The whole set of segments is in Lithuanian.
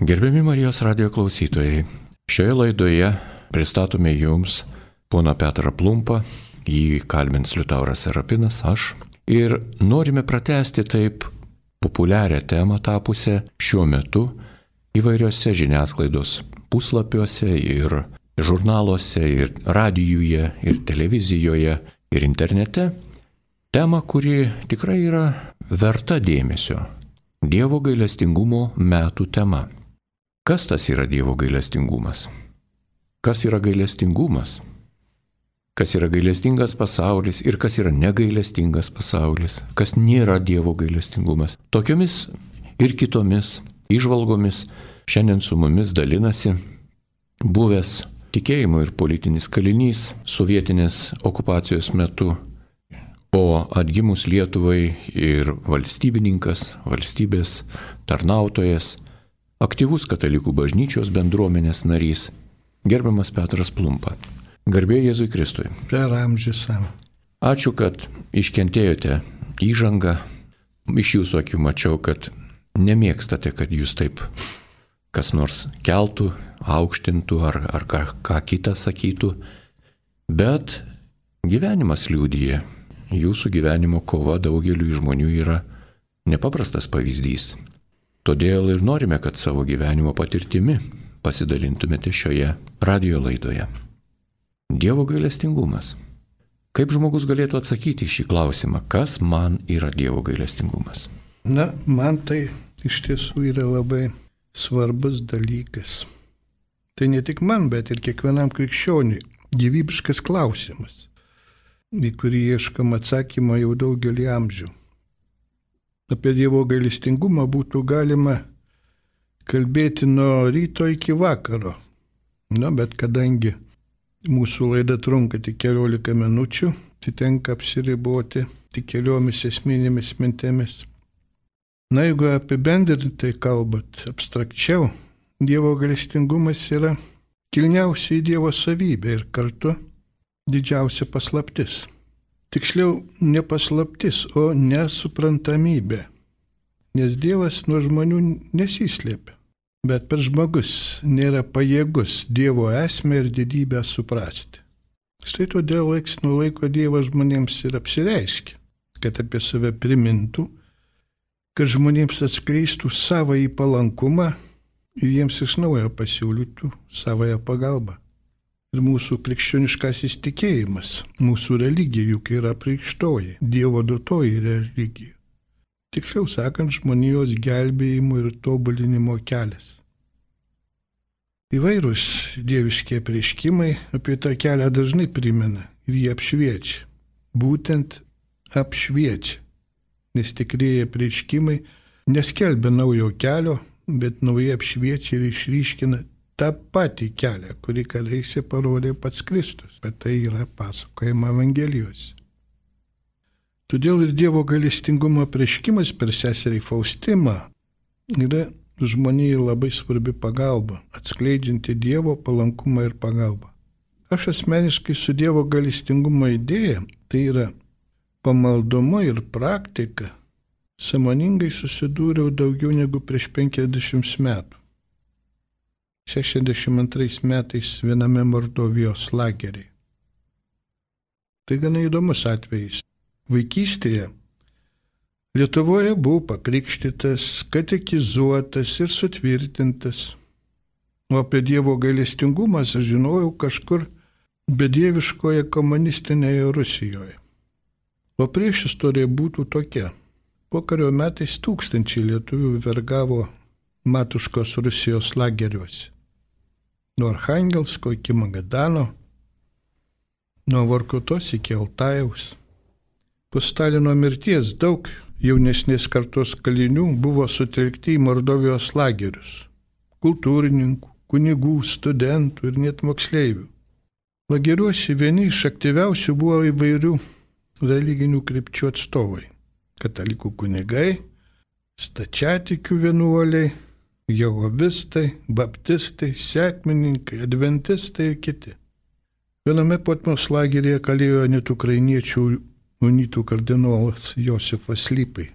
Gerbiami Marijos radijo klausytojai, šioje laidoje pristatome jums poną Petrą Plumpą, jį kalbins Liutauras Serapinas, aš. Ir norime pratęsti taip populiarią temą tapusią šiuo metu įvairiose žiniasklaidos puslapiuose ir žurnaluose, ir radijuje, ir televizijoje, ir internete. Tema, kuri tikrai yra verta dėmesio. Dievo gailestingumo metų tema. Kas tas yra Dievo gailestingumas? Kas yra gailestingumas? Kas yra gailestingas pasaulis ir kas yra negailestingas pasaulis? Kas nėra Dievo gailestingumas? Tokiomis ir kitomis įžvalgomis šiandien su mumis dalinasi buvęs tikėjimo ir politinis kalinys sovietinės okupacijos metu, o atgimus Lietuvai ir valstybininkas, valstybės tarnautojas, aktyvus katalikų bažnyčios bendruomenės narys, gerbiamas Petras Plumpa. Garbė Jėzui Kristui. Per amžius. Ačiū, kad iškentėjote įžangą. Iš jūsų akių mačiau, kad nemėgstate, kad jūs taip kas nors keltų, aukštintų ar ką kitą sakytų. Bet gyvenimas liudija. Jūsų gyvenimo kova daugeliu žmonių yra nepaprastas pavyzdys. Todėl ir norime, kad savo gyvenimo patirtimi pasidalintumėte šioje radijo laidoje. Dievo gailestingumas. Kaip žmogus galėtų atsakyti šį klausimą, kas man yra Dievo gailestingumas? Man tai iš tiesų yra labai svarbus dalykas. Tai ne tik man, bet ir kiekvienam krikščioniui gyvybiškas klausimas, į kurį ieškam atsakymą jau daugelį amžių. Apie Dievo gailestingumą būtų galima kalbėti nuo ryto iki vakaro. Bet kadangi mūsų laida trunka tik 14 minučių, tai tenka apsiriboti tik keliomis esminėmis mintimis. Jeigu apibendrintai kalbant, abstrakčiau, Dievo gailestingumas yra kilniausia Dievo savybė ir kartu didžiausia paslaptis. Tiksliau, ne paslaptis, o nesuprantamybė. Nes Dievas nuo žmonių nesislėpia. Bet per žmogus nėra pajėgus Dievo esmę ir didybę suprasti. Štai todėl laiks nuo laiko Dievas žmonėms ir apsireiškia, kad apie save primintų, kad žmonėms atskleistų savąjį palankumą ir jiems iš naujo pasiūlytų savąją pagalbą. Ir mūsų krikščioniškasis tikėjimas, mūsų religija juk yra apreikštoji, Dievo duotoji religija. Tiksliau sakant, žmonijos gelbėjimo ir tobulinimo kelias. Įvairūs dieviškie apreiškimai apie tą kelią dažnai primena ir jį apšviečia. Būtent apšviečia, nes tikrieji apreiškimai neskelbia naujo kelio, bet naujai apšviečia ir išryškina tą patį kelią, kurį kadaise parodė pats Kristus, bet tai yra pasakojama Evangelijose. Todėl ir Dievo gailestingumo apreiškimas per seserį Faustimą yra žmonijai labai svarbi pagalba, atskleidžianti Dievo palankumą ir pagalbą. Aš asmeniškai su Dievo gailestingumo idėja, tai yra pamaldumu ir praktika, sąmoningai susidūriau daugiau negu prieš 50 metų. 62 metais viename Mordovijos lageryje. Tai gana įdomus atvejis. Vaikystėje Lietuvoje buvau pakrikštytas, katekizuotas ir sutvirtintas. O apie Dievo gailestingumą aš žinojau kažkur bedieviškoje komunistinėje Rusijoje. O priešistorija būtų tokia. Pokario metais tūkstančiai lietuvių vergavo Matuškos Rusijos lageriuose. Nuo Archangelsko iki Magadano, nuo Vorkutos iki Altajaus. Po Stalino mirties daug jaunesnės kartos kalinių buvo sutelkti į Mordovijos lagerius. Kultūrininkų, kunigų, studentų ir net moksleivių. Lageriuose vieni iš aktyviausių buvo įvairių religinių krypčių atstovai. Katalikų kunigai, stačiatikių vienuoliai, jehovistai, baptistai, sekmininkai, adventistai ir kiti. Viename Potmos lageryje kalėjo net ukrainiečių unitų kardinolas Josifas Lipai.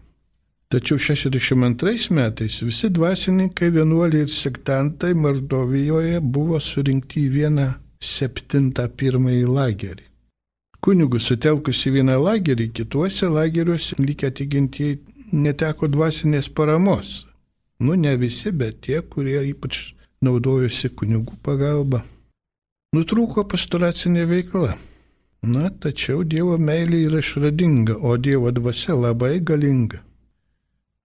Tačiau 62 metais visi dvasininkai, vienuoliai ir sektantai Mordovijoje buvo surinkti į vieną 71 lagerį. Kunigus sutelkus į vieną lagerį, kituose lageriuose likę tikintieji neteko dvasinės paramos. Ne visi, bet tie, kurie ypač naudojosi kunigų pagalba. Nutrūko pastoracinė veikla. Tačiau Dievo meilė yra išradinga, o Dievo dvasia labai galinga.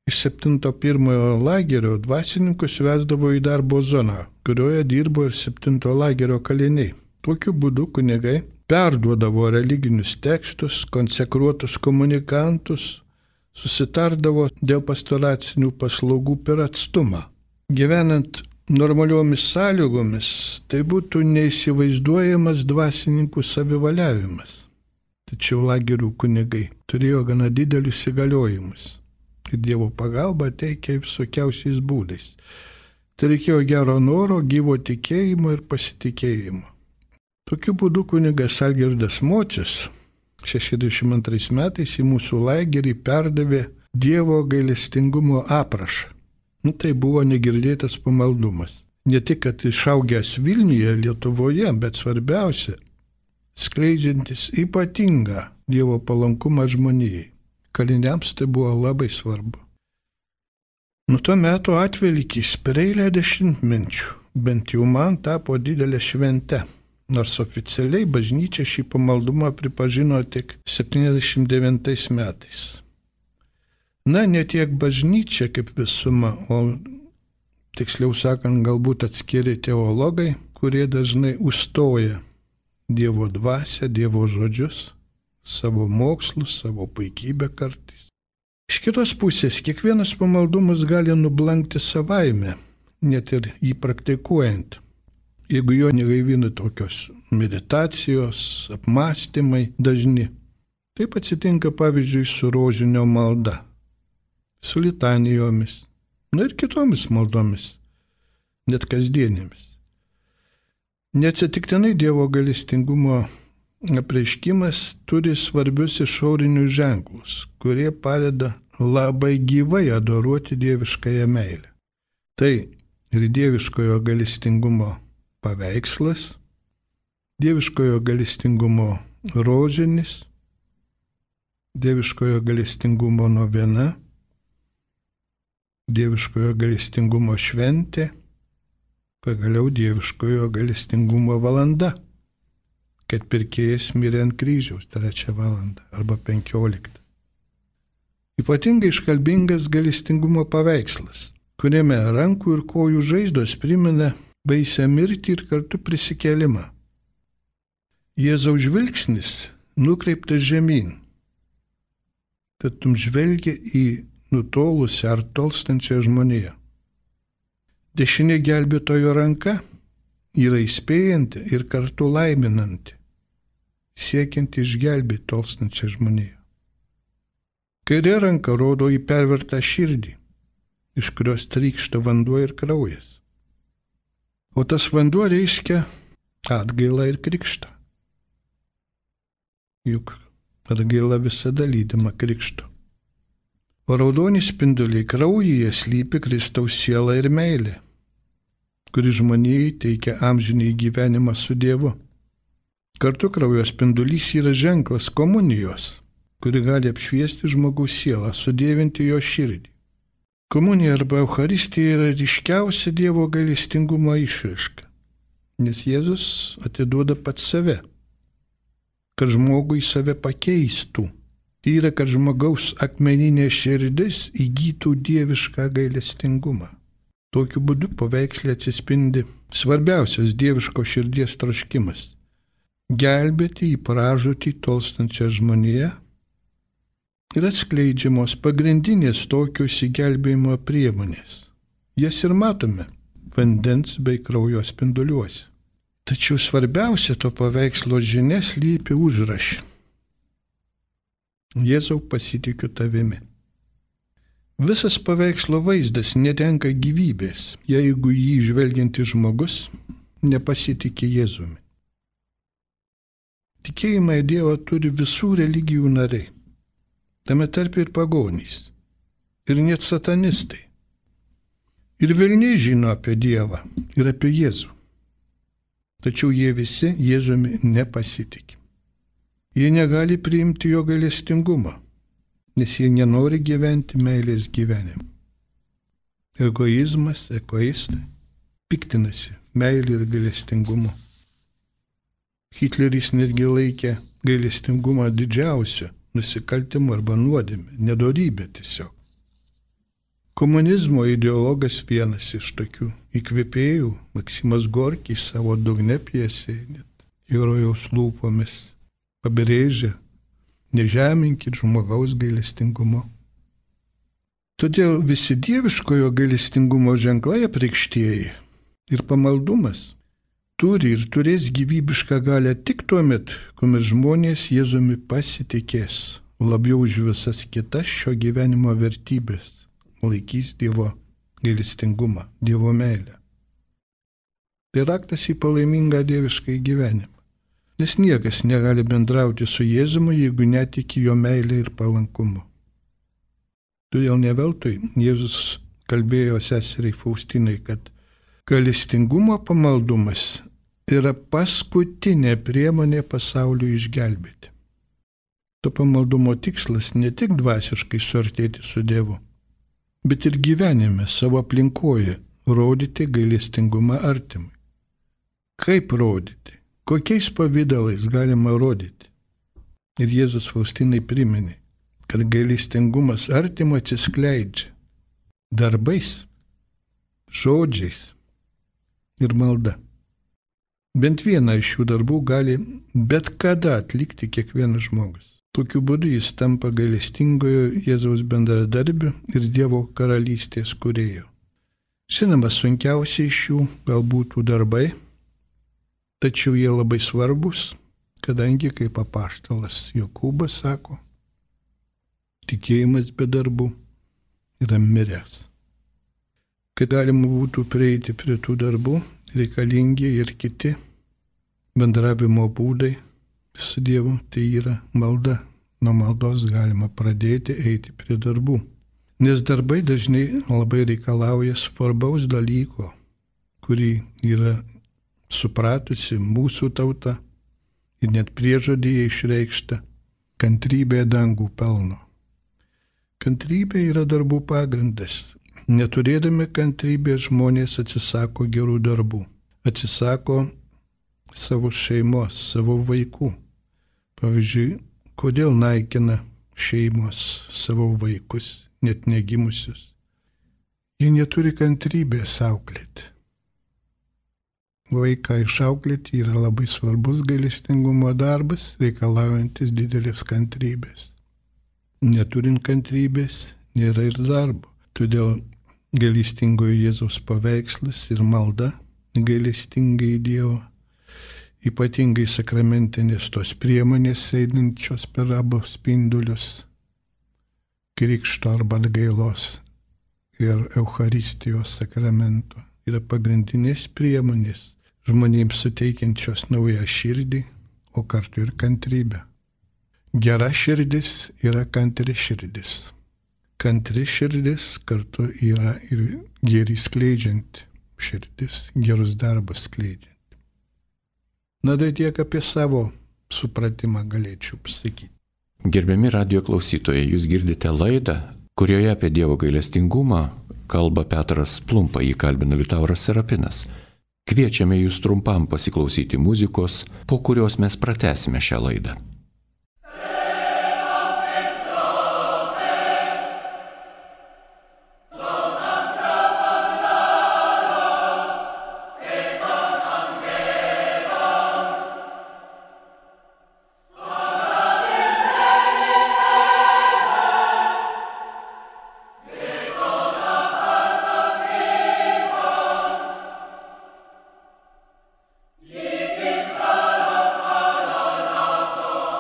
Iš 71 lagerio dvasininkus vesdavo į darbo zoną, kurioje dirbo ir 7 lagerio kaliniai. Tokiu būdu kunigai perduodavo religinius tekstus, konsekruotus komunikantus, susitardavo dėl pastoracinių paslaugų per atstumą. Gyvenant normaliomis sąlygomis, tai būtų neįsivaizduojamas dvasininkų savivaliavimas. Tačiau lagerių kunigai turėjo gana didelius įgaliojimus ir Dievo pagalbą teikė visokiausiais būdais. Tai reikėjo gero noro, gyvo tikėjimo ir pasitikėjimo. Tokiu būdu kunigas Algirdas Mocius 62 metais į mūsų lagerį perdavė Dievo gailestingumo aprašą. Tai buvo negirdėtas pamaldumas. Ne tik, kad išaugęs Vilniuje, Lietuvoje, bet svarbiausia, skleidžiantis ypatingą Dievo palankumą žmonijai. Kaliniams tai buvo labai svarbu. Tuo metu atvelykis per eilę dešimtmečių, bent jau man tapo didelė švente, nors oficialiai bažnyčia šį pamaldumą pripažino tik 79 metais. Ne tiek bažnyčia kaip visuma, o tiksliau sakant, galbūt atskiri teologai, kurie dažnai užstoja Dievo dvasią, Dievo žodžius, savo mokslus, savo puikybę kartais. Iš kitos pusės, kiekvienas pamaldumas gali nublankti savaime, net ir jį praktikuojant. Jeigu jo negaivina tokios meditacijos, apmąstymai dažni. Taip atsitinka pavyzdžiui su rožinio malda, su litanijomis, ir kitomis maldomis, net kasdienėmis. Neatsitiktinai Dievo gailestingumo apreiškimas turi svarbius išorinius ženklus, kurie padeda labai gyvai adoruoti dieviškąją meilę. Tai ir dieviškojo gailestingumo paveikslas, dieviškojo gailestingumo rožinis, dieviškojo gailestingumo novena, dieviškojo gailestingumo šventė, pagaliau dieviškojo gailestingumo valanda, kad pirkėjas mirė ant kryžiaus 3 valandą arba 15. Ypatingai iškalbingas gailestingumo paveikslas, kuriame rankų ir kojų žaizdos primena baisią mirtį ir kartu prisikėlimą. Jėzaus žvilgsnis nukreiptas žemyn, tatum žvelgia į nutolusią ar tolstančią žmoniją. Dešinė gelbėtojo ranka yra įspėjanti ir kartu laiminanti, siekianti išgelbėti tolstančią žmoniją. Kairė ranka rodo į pervertą širdį, iš kurios trykšta vanduo ir kraujas. O tas vanduo reiškia atgailą ir krikštą. Juk atgaila visada lydima krikšto. O raudoni spinduliai kraujyje slypi Kristaus siela ir meilė, kuri žmonijai teikia amžinį gyvenimą su Dievu. Kartu kraujo spindulys yra ženklas komunijos, kuri gali apšviesti žmogaus sielą, sudievinti jo širdį. Komunija arba Eucharistija yra ryškiausia Dievo gailestingumo išraiška, nes Jėzus atiduoda pats save, kad žmogui save pakeistų. Tai yra, kad žmogaus akmeninė širdis įgytų dievišką gailestingumą. Tokiu būdu paveiksle atsispindi svarbiausias dieviško širdies troškimas – gelbėti į pražūtį tolstančią žmoniją ir atskleidžiamos pagrindinės tokio išsigelbėjimo priemonės. Jas ir matome vandens bei kraujo spinduliuose. Tačiau svarbiausia to paveikslo žinia slypi užraše. Jėzau, pasitikiu tavimi. Visas paveikslo vaizdas netenka gyvybės, jeigu jį žvelgiantis žmogus nepasitikė Jėzumi. Tikėjimą į Dievą turi visų religijų nariai, tame tarp ir pagonys. ir net satanistai. Ir velniai žino apie Dievą ir apie Jėzų. Tačiau jie visi Jėzumi nepasitikė. Jie negali priimti jo gailestingumo, nes jie nenori gyventi meilės gyvenimą. Egoizmas, egoistai piktinasi meilė ir gailestingumu. Hitleris netgi laikė gailestingumą didžiausiu nusikaltimu arba nuodėme, nedorybė tiesiog. Komunizmo ideologas vienas iš tokių įkvėpėjų, Maksimas Gorkis savo dugne pjesėje net herojaus lūpomis pabrėžia: nežeminkit žmogaus gailestingumo. Todėl visi dieviškojo gailestingumo ženklai apreikštieji ir pamaldumas turi ir turės gyvybišką galią tik tuomet, kuomet žmonės Jėzumi pasitikės labiau už visas kitas šio gyvenimo vertybės, laikys Dievo gailestingumą, Dievo meilę. Tai raktas į palaimingą dievišką gyvenimą. Nes niekas negali bendrauti su Jėzumi, jeigu netiki jo meilę ir palankumu. Todėl ne veltui Jėzus kalbėjo seseriai Faustinai, kad gailestingumo pamaldumas yra paskutinė priemonė pasauliui išgelbėti. To pamaldumo tikslas ne tik dvasiškai suartėti su Dievu, bet ir gyvenime, savo aplinkoje rodyti gailestingumą artimui. Kaip rodyti? Kokiais pavydalais galima rodyti? Ir Jėzus Faustinai priminė, kad gailestingumas artimo atsiskleidžia darbais, žodžiais ir malda. Bent vieną iš šių darbų gali bet kada atlikti kiekvienas žmogus. Tokiu būdu jis tampa gailestingojo Jėzaus bendradarbiu ir Dievo karalystės kūrėju. Žinoma, sunkiausiai iš jų galbūt darbai, tačiau jie labai svarbus, kadangi, kaip apaštalas Jokūbas sako, tikėjimas be darbų yra miręs. Kad galima būtų prieiti prie tų darbų, reikalingi ir kiti bendravimo būdai su Dievu, tai yra malda. Nuo maldos galima pradėti eiti prie darbų. Nes darbai dažnai labai reikalauja svarbaus dalyko, kurį yra supratusi mūsų tauta ir net priežodyje išreikšta: kantrybė dangų pelno. Kantrybė yra darbų pagrindas. Neturėdami kantrybės žmonės atsisako gerų darbų, atsisako savo šeimos, savo vaikų. Pavyzdžiui, kodėl naikina šeimos savo vaikus, net negimusius? Jie neturi kantrybės auklėti. Vaiką išauklėti yra labai svarbus gailestingumo darbas, reikalaujantis didelės kantrybės. Neturint kantrybės nėra ir darbo. Todėl gailestingojo Jėzaus paveikslas ir malda gailestingai Dievo, ypatingai sakramentinės tos priemonės einančios per abu spindulius, krikšto arba atgailos ir Eucharistijos sakramento, yra pagrindinės priemonės žmonėms suteikiančios naują širdį, o kartu ir kantrybę. Gera širdis yra kantri širdis. Kantri širdis kartu yra ir gėrį skleidžianti širdis, gerus darbus skleidžianti. Na, tai tiek apie savo supratimą galėčiau pasakyti. Gerbiami radijo klausytojai, jūs girdite laidą, kurioje apie Dievo gailestingumą kalba Petras Plumpa, jį kalbina Liutauras Serapinas. Kviečiame jūs trumpam pasiklausyti muzikos, po kurios mes pratęsime šią laidą. Liebig Allah, Allah, Allah,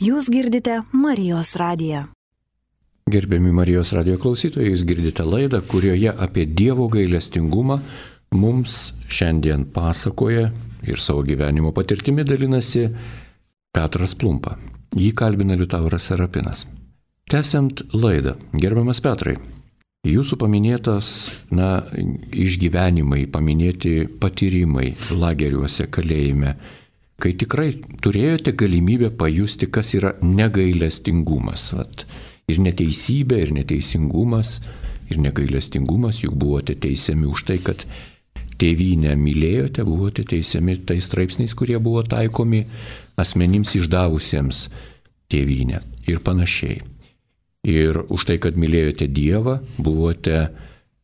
Jūs girdite Marijos radiją. Gerbiami Marijos radijo klausytojai, jūs girdite laidą, kurioje apie Dievo gailestingumą mums šiandien pasakoja ir savo gyvenimo patirtimi dalinasi Petras Plumpa. Jį kalbina Liutauras Serapinas. Tęsiant laidą, gerbiamas Petrai, jūsų paminėtas išgyvenimai, paminėti patyrimai lageriuose, kalėjime, kai tikrai turėjote galimybę pajusti, kas yra negailestingumas. Ir neteisybė, ir neteisingumas, ir negailestingumas, juk buvote teisiami už tai, kad tėvynę mylėjote, buvote teisiami tais straipsniais, kurie buvo taikomi asmenims išdavusiems tėvynę ir panašiai. Ir už tai, kad mylėjote Dievą, buvote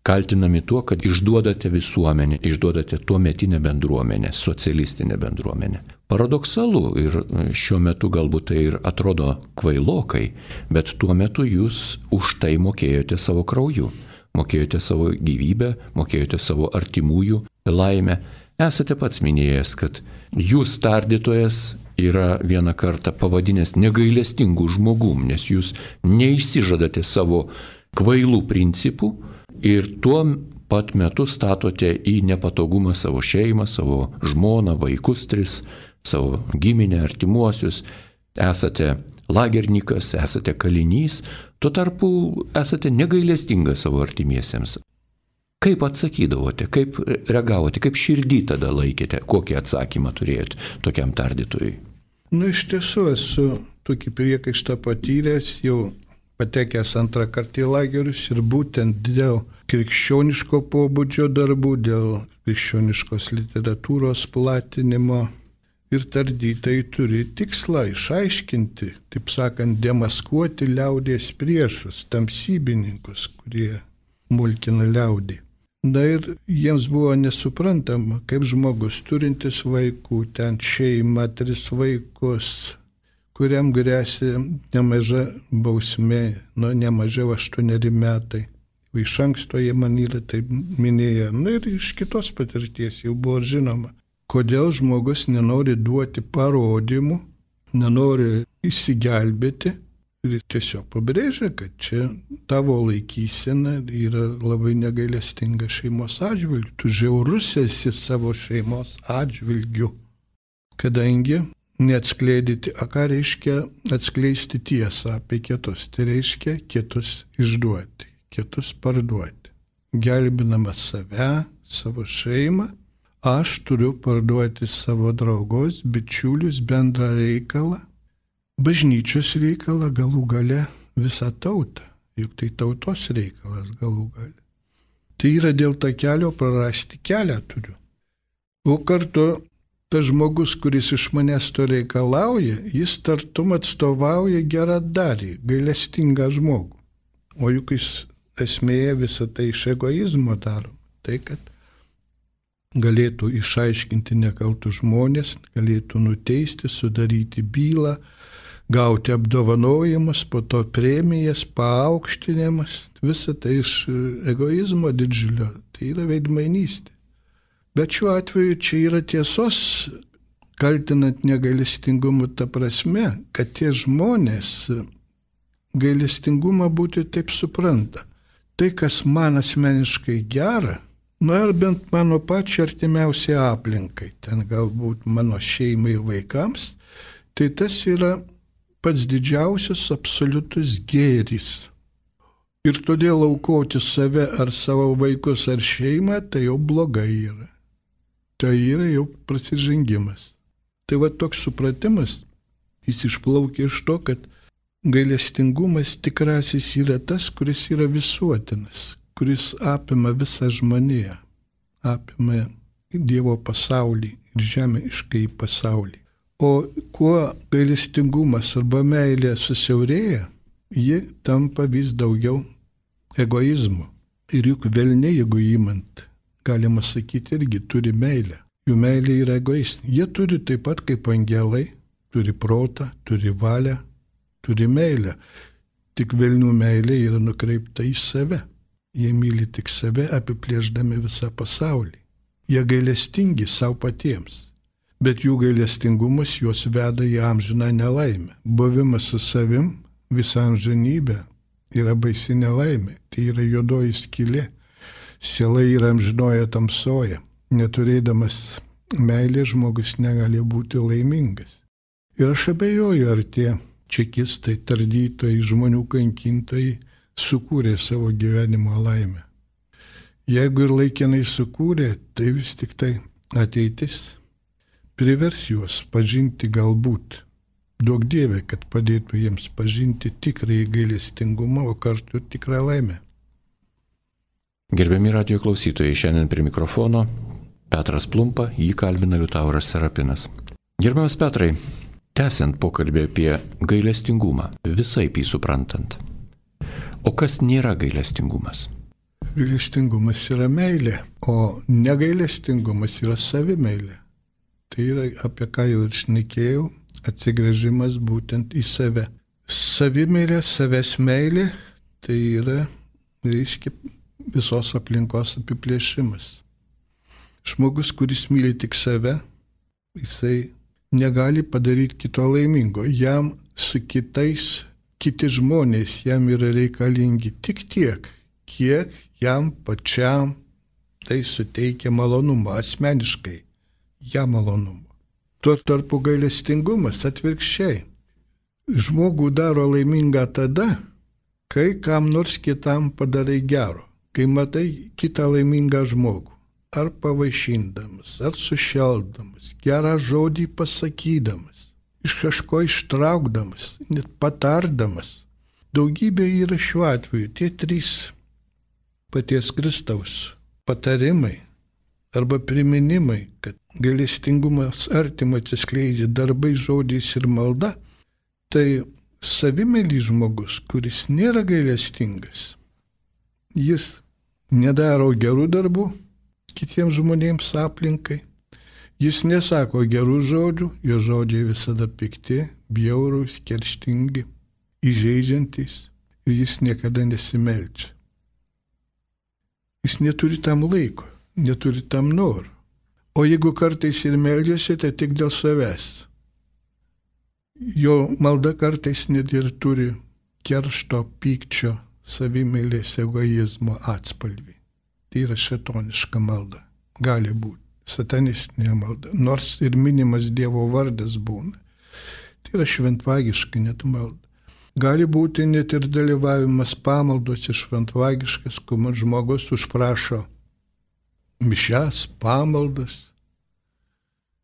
kaltinami tuo, kad išduodate visuomenę, išduodate tuometinę bendruomenę, socialistinę bendruomenę. Paradoksalu ir šiuo metu galbūt tai ir atrodo kvailokai, bet tuo metu jūs už tai mokėjote savo krauju, mokėjote savo gyvybę, mokėjote savo artimųjų laimę. Esate pats minėjęs, kad jūs tardytojas yra vieną kartą pavadinęs negailestingų žmogum, nes jūs neišsižadate savo kvailų principų ir tuo pat metu statote į nepatogumą savo šeimą, savo žmoną, vaikus 3, savo giminę, artimuosius. Esate lagernikas, esate kalinys, tuo tarpu esate negailestingas savo artimiesiems. Kaip atsakydavote, kaip reagavote, kaip širdį tada laikėte, kokį atsakymą turėjote tokiam tardytojui? Iš tiesų esu tokį priekaištą patyręs, jau patekęs antrą kartą į lagerius ir būtent dėl krikščioniško pobūdžio darbų, dėl krikščioniškos literatūros platinimo. Ir tardytojai turi tikslą išaiškinti, taip sakant, demaskuoti liaudies priešus, tamsybininkus, kurie mulkina liaudį. Ir jiems buvo nesuprantama, kaip žmogus turintis vaikų, ten šeima, 3 vaikus, kuriam grėsia nemaža bausmė, nemažiau 8 metai. Iš anksto jie man yra taip minėję. Ir iš kitos patirties jau buvo žinoma, kodėl žmogus nenori duoti parodymų, nenori įsigelbėti ir tiesiog pabrėžia, kad čia tavo laikysena yra labai negailestinga šeimos atžvilgiu. Tu žiaurus esi savo šeimos atžvilgiu, kadangi neatskleidyti, ką reiškia atskleisti tiesą apie kitus. Tai reiškia kitus išduoti, kitus parduoti. Gelbinamas save, savo šeimą, aš turiu parduoti savo draugus, bičiulius, bendrą reikalą, bažnyčios reikalą, galų gale visą tautą, juk tai tautos reikalas galų gale. Tai yra dėl to kelio prarasti kelią turiu. O kartu tas žmogus, kuris iš manęs to reikalauja, jis tartum atstovauja geradarį, gailestingą žmogų. O juk jis esmėje visą tai iš egoizmo daro. Tai, kad galėtų išaiškinti nekaltus žmonės, galėtų nuteisti, sudaryti bylą, gauti apdovanojimus, po to premijas, paaukštinimas, visą tai iš egoizmo didžiulio, tai yra veidmainystė. Bet šiuo atveju čia yra tiesos, kaltinant negailestingumu ta prasme, kad tie žmonės gailestingumą būti taip supranta. Tai, kas man asmeniškai gera, ar bent mano pačiai artimiausiai aplinkai, ten galbūt mano šeimai ir vaikams, tai tas yra pats didžiausias absoliutus gėris. Ir todėl aukoti save ar savo vaikus ar šeimą, tai jau blogai yra. Tai yra jau prasižengimas. Tai toks supratimas, jis išplaukia iš to, kad gailestingumas tikrasis yra tas, kuris yra visuotinas, kuris apima visą žmoniją, apima Dievo pasaulį ir žemiškai pasaulį. O kuo gailestingumas arba meilė susiaurėja, ji tampa vis daugiau egoizmo. Ir juk velniai, jeigu įmant, galima sakyti, irgi turi meilę. Jų meilė yra egoistinė. Jie turi taip pat kaip angelai, turi protą, turi valią, turi meilę. Tik velnių meilė yra nukreipta į save. Jie myli tik save, apiplėšdami visą pasaulį. Jie gailestingi savo patiems. bet jų gailestingumas juos veda į amžiną nelaimę. Buvimas su savim visą amžinybę yra baisi nelaimė, tai yra juodoji skylė. Siela yra amžinoje tamsoje. Neturėdamas meilės žmogus negali būti laimingas. Ir aš abejoju, ar tie čekistai, tardytojai, žmonių kankintojai sukūrė savo gyvenimo laimę. Jeigu ir laikinai sukūrė, tai vis tik tai ateitis privers juos pažinti galbūt. Duok Dieve, kad padėtų jiems pažinti tikrąjį gailestingumą, o kartu tikrą laimę. Gerbiami radijo klausytojai, šiandien prie mikrofono Petras Plumpa, jį kalbina Liutauras Serapinas. Gerbiamas Petrai, tęsiant pokalbį apie gailestingumą, visaip jį suprantant. O kas nėra gailestingumas? Gailestingumas yra meilė, o negailestingumas yra savimeilė. Tai yra, apie ką jau ir šnekėjau, atsigręžimas būtent į save. Savimeilė, savęs meilė, tai yra, reiškia, visos aplinkos apiplėšimas. Žmogus, kuris myli tik save, jisai negali padaryti kito laimingo. Jam su kitais, kiti žmonės jam yra reikalingi tik tiek, kiek jam pačiam tai suteikia malonumą, asmeniškai jam malonumą. Tuo tarpu gailestingumas atvirkščiai. Žmogų daro laimingą tada, kai kam nors kitam padarai gero. Kai matai kitą laimingą žmogų, ar pavaišindamas, ar sušeldamas, gerą žodį pasakydamas, iš kažko ištraukdamas, net patardamas. Daugybė yra šiuo atveju tie 3 paties Kristaus patarimai arba priminimai, kad gailestingumas artimą atsiskleidžia darbais, žodžiais ir malda. Tai savimėlis žmogus, kuris nėra gailestingas, jis nedaro gerų darbų kitiems žmonėms aplinkai, jis nesako gerų žodžių, jo žodžiai visada pikti, bjaurūs, kerštingi, įžeidžiantys, ir jis niekada nesimeldžia. Jis neturi tam laiko, neturi tam norų. O jeigu kartais ir meldžiasi, tai tik dėl savęs. Jo malda kartais net ir turi keršto, pykčio, savimeilės, egoizmo atspalvį. Tai yra šėtoniška malda. Gali būti satanistinė malda. Nors ir minimas Dievo vardas būna. Tai yra šventvagiška net malda. Gali būti net ir dalyvavimas pamaldose šventvagiškas, kuomet žmogus užprašo mišias, pamaldas,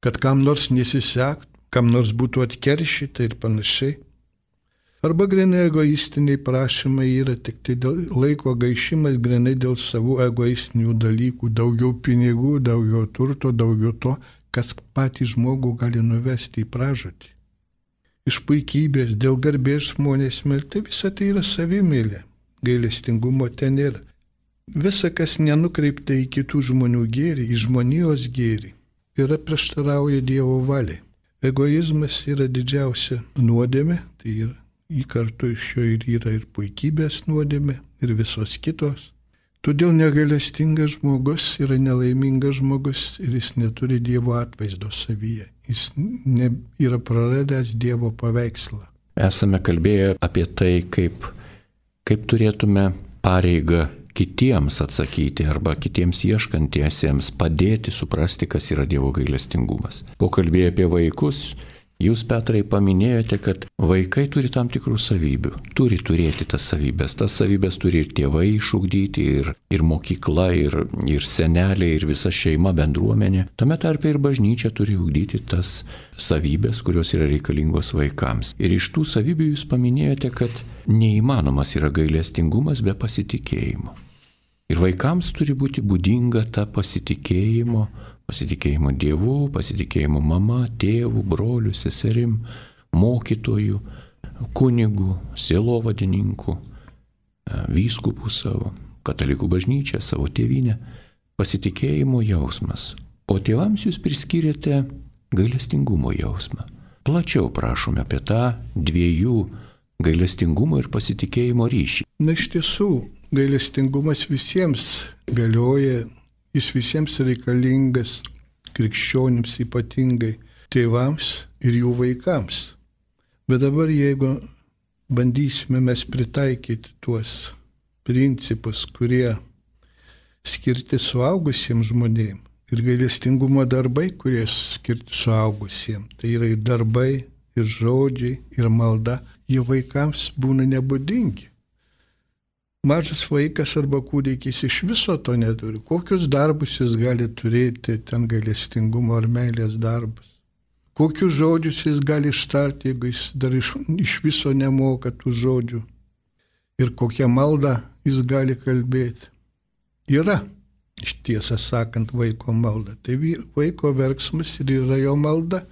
kad kam nors nesisektų, kam nors būtų atkeršyta ir panašiai. Arba grinai egoistiniai prašymai yra tik tai dėl laiko gaišimas, grinai dėl savų egoistinių dalykų, daugiau pinigų, daugiau turto, daugiau to, kas patį žmogų gali nuvesti į pražūtį. Iš puikybės, dėl garbės žmonės melti, visa tai yra savimėlė, gailestingumo ten yra. Visa, kas nenukreipta į kitų žmonių gėrį, į žmonijos gėrį, yra prieštarauja Dievo valiai. Egoizmas yra didžiausia nuodėmė, tai yra į kartu iš jo ir yra ir puikybės nuodėmė, ir visos kitos. Todėl negailestingas žmogus yra nelaimingas žmogus ir jis neturi Dievo atvaizdo savyje. Jis yra praradęs Dievo paveikslą. Esame kalbėję apie tai, kaip turėtume pareigą kitiems atsakyti arba kitiems ieškantiesiems padėti suprasti, kas yra Dievo gailestingumas. Pokalbėję apie vaikus, jūs, Petrai, paminėjote, kad vaikai turi tam tikrų savybių, turi turėti tas savybės turi ir tėvai išugdyti, ir mokykla, ir seneliai, ir visa šeima, bendruomenė. Tame tarpe ir bažnyčia turi ugdyti tas savybės, kurios yra reikalingos vaikams. Ir iš tų savybių jūs paminėjote, kad neįmanomas yra gailestingumas be pasitikėjimo. Ir vaikams turi būti būdinga ta pasitikėjimo Dievu, pasitikėjimo mama, tėvu, broliu, seserim, mokytoju, kunigu, sielovadininku, vyskupų savo, katalikų bažnyčią, savo tėvynę, pasitikėjimo jausmas. O tėvams jūs priskiriate gailestingumo jausmą. Plačiau prašome apie tą 2 gailestingumo ir pasitikėjimo ryšį. Na, iš tiesų, gailestingumas visiems galioja, jis visiems reikalingas, krikščionims ypatingai, tėvams ir jų vaikams. Bet dabar jeigu bandysime mes pritaikyti tuos principus, kurie skirti suaugusiems žmonėms ir gailestingumo darbai, kurie skirti suaugusiems, tai yra ir darbai, ir žodžiai, ir malda, jie vaikams būna nebūdingi. Mažas vaikas arba kūdikis iš viso to neturi. Kokius darbus jis gali turėti, ten gailestingumo ar meilės darbus? Kokius žodžius jis gali ištarti, jeigu jis dar iš viso nemoka tų žodžių? Ir kokią maldą jis gali kalbėti? Yra, iš tiesą sakant, vaiko malda. Tai vaiko verksmas ir yra jo malda.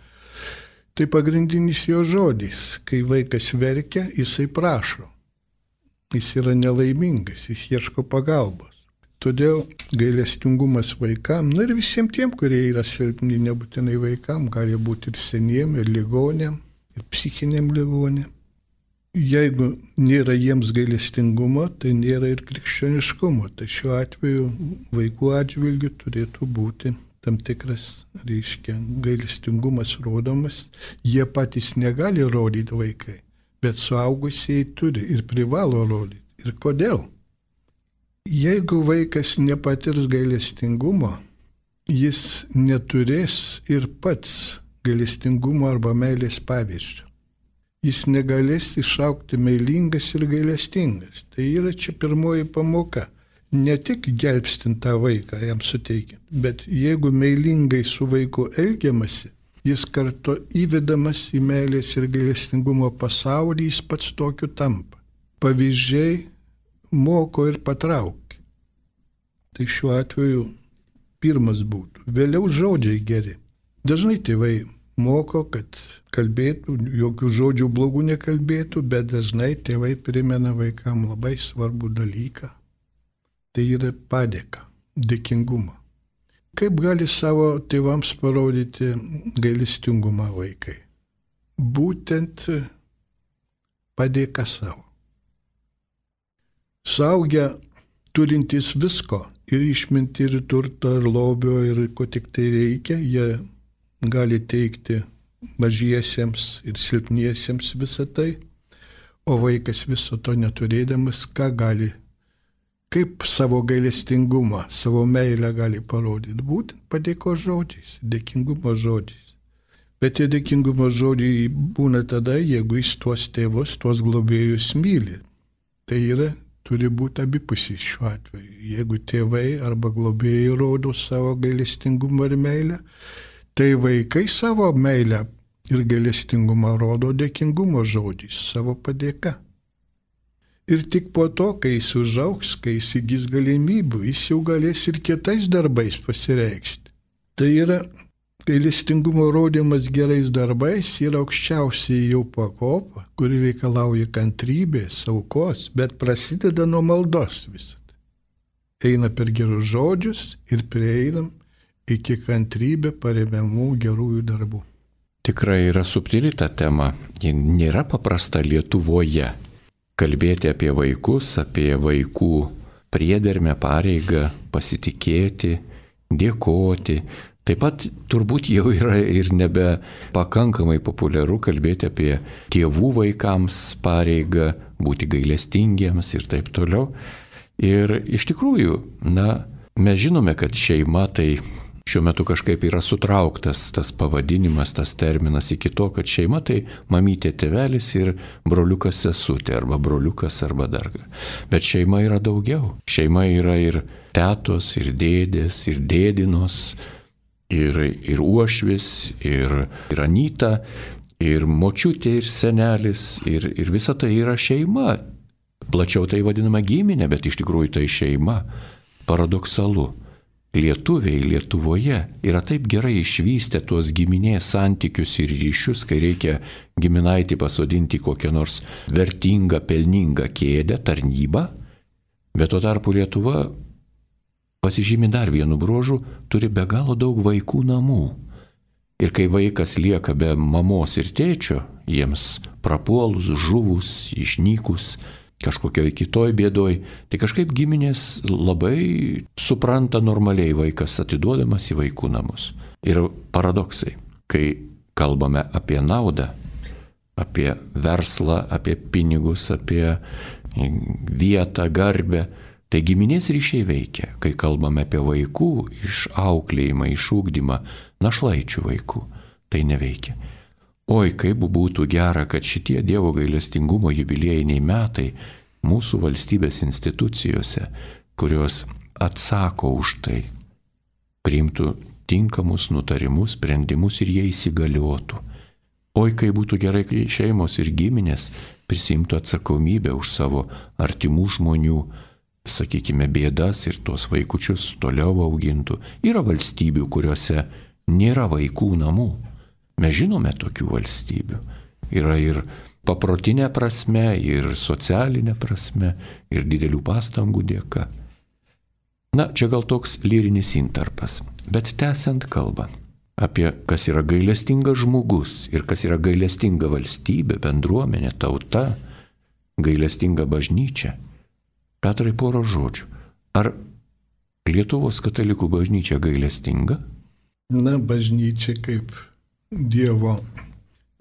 Tai pagrindinis jo žodis. Kai vaikas verkia, jisai prašo. Jis yra nelaimingas, jis ieško pagalbos. Todėl gailestingumas vaikam, ir visiems tiem, kurie yra silpni, nebūtinai vaikam, gali būti ir seniem, ir ligonėm, ir psichiniam ligonėm. Jeigu nėra jiems gailestingumo, tai nėra ir krikščioniškumo. Tai šiuo atveju vaikų atžvilgiu turėtų būti tam tikras, gailestingumas rodomas. Jie patys negali rodyti vaikai, bet suaugusieji turi ir privalo rodyti. Ir kodėl? Jeigu vaikas nepatirs gailestingumo, jis neturės ir pats gailestingumo arba meilės pavyzdžio. Jis negalės išaugti meilingas ir gailestingas. Tai yra čia pirmoji pamoka. Ne tik gelbstint tą vaiką, jam suteikiant, bet jeigu meilingai su vaiku elgiamasi, jis kartu įvedamas į meilės ir gailestingumo pasaulį, jis pats tokiu tampa. Pavyzdžiai moko ir patraukia. Tai šiuo atveju pirmas būtų. Vėliau žodžiai geri. Dažnai tėvai moko, kad kalbėtų, jokių žodžių blogų nekalbėtų, bet dažnai tėvai primena vaikam labai svarbų dalyką. Tai yra padėka, dėkingumą. Kaip gali savo tėvams parodyti gailestingumą vaikai? Būtent padėka savo. Suaugę turintys visko, ir išmintį, ir turto, ir lobio, ir ko tik tai reikia, jie gali teikti mažiesiems ir silpniesiems visą tai, o vaikas viso to neturėdamas, ką gali, kaip savo gailestingumą, savo meilę gali parodyti, būtent padėkos žodžiais, dėkingumo žodžiais. Bet tie dėkingumo žodžiai būna tada, jeigu jis tuos tėvus, tuos globėjus myli. Tai yra, turi būti abipusis šiuo atveju. Jeigu tėvai arba globėjai rodo savo gailestingumą ir meilę, tai vaikai savo meilę ir gailestingumą rodo dėkingumo žodžiais, savo padėka. Ir tik po to, kai jis užaugs, kai jis įgis galimybių, jis jau galės ir kitais darbais pasireikšti. Tai yra, gailestingumo rodymas gerais darbais yra aukščiausiai jau pakopa, kuri reikalauja kantrybės, aukos, bet prasideda nuo maldos visą. Eina per gerus žodžius ir prieinam iki kantrybę paremiamų gerųjų darbų. Tikrai yra subtili ta tema, ji nėra paprasta Lietuvoje. Kalbėti apie vaikus, apie vaikų priedermę, pareigą, pasitikėti, dėkoti. Taip pat turbūt jau yra ir nebe pakankamai populiaru kalbėti apie tėvų vaikams pareigą, būti gailestingiems ir taip toliau. Ir iš tikrųjų, mes žinome, kad šeima tai šiuo metu kažkaip yra sutrauktas tas pavadinimas, tas terminas iki to, kad šeima tai mamytė, tėvelis ir broliukas sesutė, arba broliukas, arba dar. Bet šeima yra daugiau. Šeima yra ir tetos, ir dėdės, ir dėdinos, ir uošvis, ir anyta, ir močiutė, ir senelis, ir visa tai yra šeima. Plačiau tai vadinama giminė, bet iš tikrųjų tai šeima. Paradoksalu. Lietuviai Lietuvoje yra taip gerai išvystę tuos giminės santykius ir ryšius, kai reikia giminaitį pasodinti kokią nors vertingą, pelningą kėdę, tarnybą, bet tuo tarpu Lietuva pasižymi dar vienu bruožu, turi be galo daug vaikų namų. Ir kai vaikas lieka be mamos ir tėčio, jiems prapuolus, žuvus, išnykus, kažkokioj kitoj bėdoj, tai kažkaip giminės labai supranta normaliai vaikas atiduodamas į vaikų namus. yra paradoksai. Kai kalbame apie naudą, apie verslą, apie pinigus, apie vietą, garbę, tai giminės ryšiai veikia. Kai kalbame apie vaikų išauklėjimą, išugdymą, našlaičių vaikų, tai neveikia. Oi, kaip būtų gera, kad šitie Dievo gailestingumo jubiliejiniai metai mūsų valstybės institucijose, kurios atsako už tai, priimtų tinkamus nutarimus, sprendimus ir jie įsigaliotų. Oi, kaip būtų gerai, kai šeimos ir giminės prisimtų atsakomybę už savo artimų žmonių, sakykime, bėdas ir tuos vaikučius toliau augintų. Yra valstybių, kuriuose nėra vaikų namų. Mes žinome tokių valstybių. Yra ir paprotinė prasme, ir socialinė prasme, ir didelių pastangų dėka. Na, čia gal toks lyrinis intarpas, bet tęsiant kalbą apie kas yra gailestingas žmogus ir kas yra gailestinga valstybė, bendruomenė, tauta, gailestinga bažnyčia. Petrai, porą žodžių. Ar Lietuvos katalikų bažnyčia gailestinga? Na, bažnyčia kaip Dievo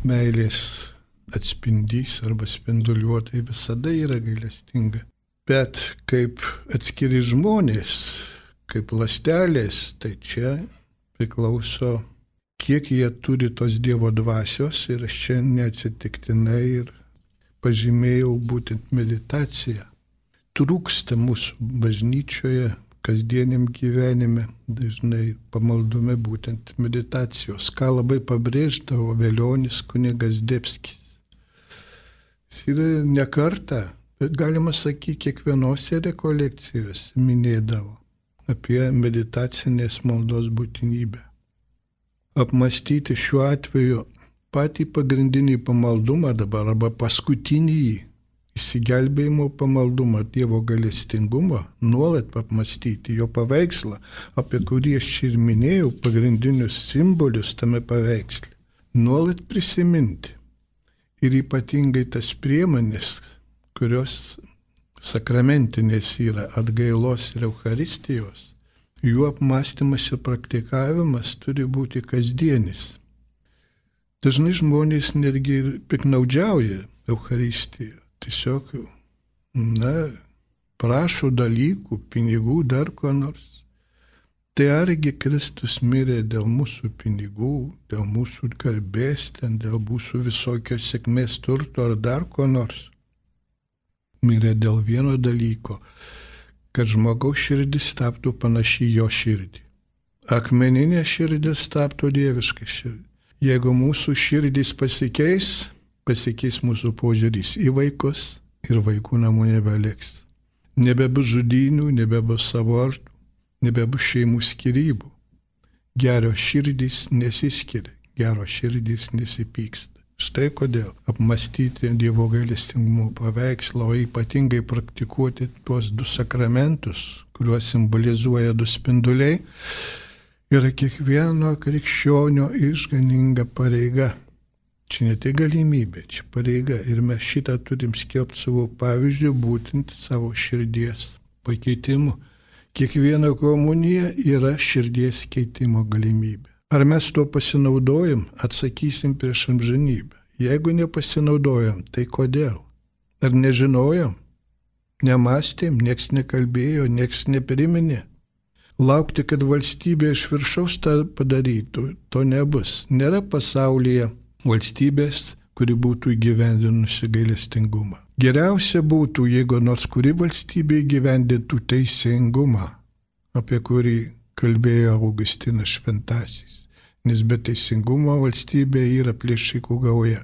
meilės atspindys arba spinduliuotai visada yra gailestinga. Bet kaip atskiri žmonės, kaip ląstelės, tai čia priklauso, kiek jie turi tos Dievo dvasios ir aš čia neatsitiktinai ir pažymėjau būtent meditaciją. Trūksta mūsų bažnyčioje, kasdieniam gyvenime, dažnai pamaldume būtent meditacijos, ką labai pabrėždavo Velionis kunigas Debskis. Jis yra ne kartą, bet galima sakyti, kiekvienose rekolekcijose minėdavo apie meditacinės maldos būtinybę. Apmastyti šiuo atveju patį pagrindinį pamaldumą dabar arba paskutinį įsigelbėjimo pamaldumą, Dievo gailestingumą, nuolat apmastyti jo paveikslą, apie kurį aš ir minėjau, pagrindinius simbolius tame paveiksle. Nuolat prisiminti ir ypatingai tas priemonės, kurios sakramentinės yra atgailos ir Eucharistijos, jų apmąstymas ir praktikavimas turi būti kasdienis. Dažnai žmonės netgi piknaudžiauja Eucharistiją. Tiesiog, prašo dalykų, pinigų, dar ko nors. Tai argi Kristus mirė dėl mūsų pinigų, dėl mūsų garbės, dėl mūsų visokios sėkmės turto ar dar ko nors. Mirė dėl vieno dalyko, kad žmogaus širdis taptų panaši jo širdį. Akmeninė širdis taptų dieviška širdį. Jeigu mūsų širdis pasikeis mūsų požiūris į vaikus ir vaikų namų nebeliks. Nebebus žudynių, nebebus abortų, nebebus šeimų skyrybų. Geros širdys nesiskiria, geros širdys nesipyksta. Štai kodėl apmastyti Dievo gailestingumo paveikslą, o ypatingai praktikuoti tuos du sakramentus, kuriuos simbolizuoja du spinduliai, yra kiekvieno krikščionio išganinga pareiga. Čia ne tik galimybė, čia pareiga ir mes šitą turim skelbti savo pavyzdžių, būtent savo širdies pakeitimu. Kiekviena komunija yra širdies keitimo galimybė. Ar mes tuo pasinaudojam, atsakysim prieš amžinybę. Jeigu nepasinaudojam, tai kodėl? Ar nežinojom? Nemąstėm, nieks nekalbėjo, nieks nepriminė. Laukti, kad valstybė iš viršaus tą padarytų, to nebus. Nėra pasaulyje valstybės, kuri būtų įgyvendinusi gailestingumą. Geriausia būtų, jeigu nors kuri valstybė įgyvendintų teisingumą, apie kurį kalbėjo Augustinas Šventasis, nes be teisingumo valstybė yra plėšikų gauja.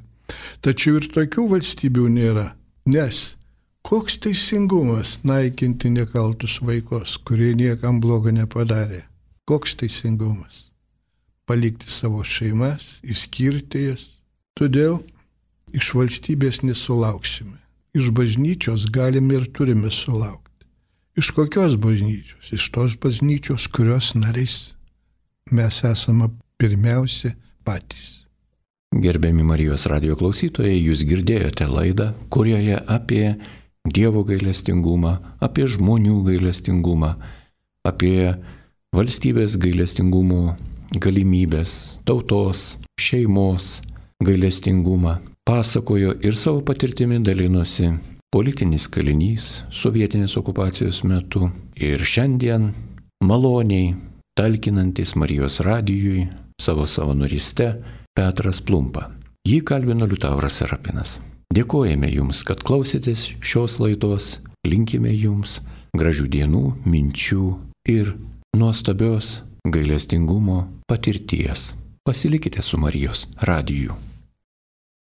Tačiau ir tokių valstybių nėra, nes koks teisingumas naikinti nekaltus vaikus, kurie niekam blogo nepadarė? Koks teisingumas? Palikti savo šeimas, išskirti jas. Todėl iš valstybės nesulauksime. Iš bažnyčios galime ir turime sulaukti. Iš kokios bažnyčios? Iš tos bažnyčios, kurios nariais mes esame pirmiausia patys. Gerbiami Marijos radijo klausytojai, jūs girdėjote laidą, kurioje apie Dievo gailestingumą, apie žmonių gailestingumą, apie valstybės gailestingumo galimybės, tautos, šeimos gailestingumą. Pasakojo ir savo patirtimi dalinosi politinis kalinys sovietinės okupacijos metu ir šiandien maloniai talkinantis Marijos radijui savo savanoriste Petras Plumpa. Jį kalbino Liutauras Serapinas. Dėkojame Jums, kad klausėtės šios laidos, linkime Jums gražių dienų, minčių ir nuostabios gailestingumo patirties. Pasilikite su Marijos radiju.